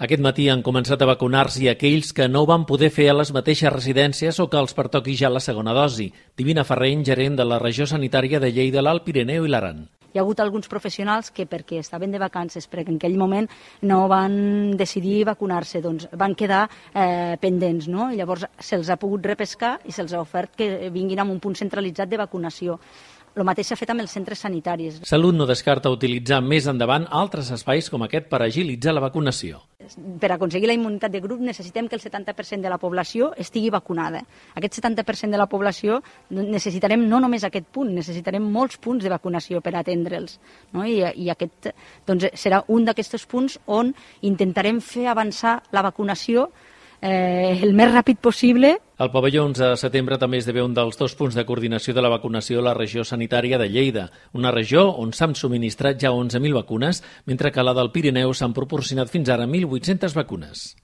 Aquest matí han començat a vacunar-s'hi aquells que no van poder fer a les mateixes residències o que els pertoqui ja la segona dosi. Divina Ferreny, gerent de la regió sanitària de Lleida, l'Alt Pirineu i l'Aran. Hi ha hagut alguns professionals que perquè estaven de vacances, perquè en aquell moment no van decidir vacunar-se, doncs van quedar pendents, no? I llavors se'ls ha pogut repescar i se'ls ha ofert que vinguin a un punt centralitzat de vacunació. El mateix s'ha fet amb els centres sanitaris. Salut no descarta utilitzar més endavant altres espais com aquest per agilitzar la vacunació. Per aconseguir la immunitat de grup necessitem que el 70% de la població estigui vacunada. Aquest 70% de la població necessitarem no només aquest punt, necessitarem molts punts de vacunació per atendre'ls. No? I aquest doncs, serà un d'aquests punts on intentarem fer avançar la vacunació el més ràpid possible. El pavelló 11 de setembre també esdevé un dels 2 punts de coordinació de la vacunació a la regió sanitària de Lleida, una regió on s'han subministrat ja 11.000 vacunes, mentre que a la del Pirineu s'han proporcionat fins ara 1.800 vacunes.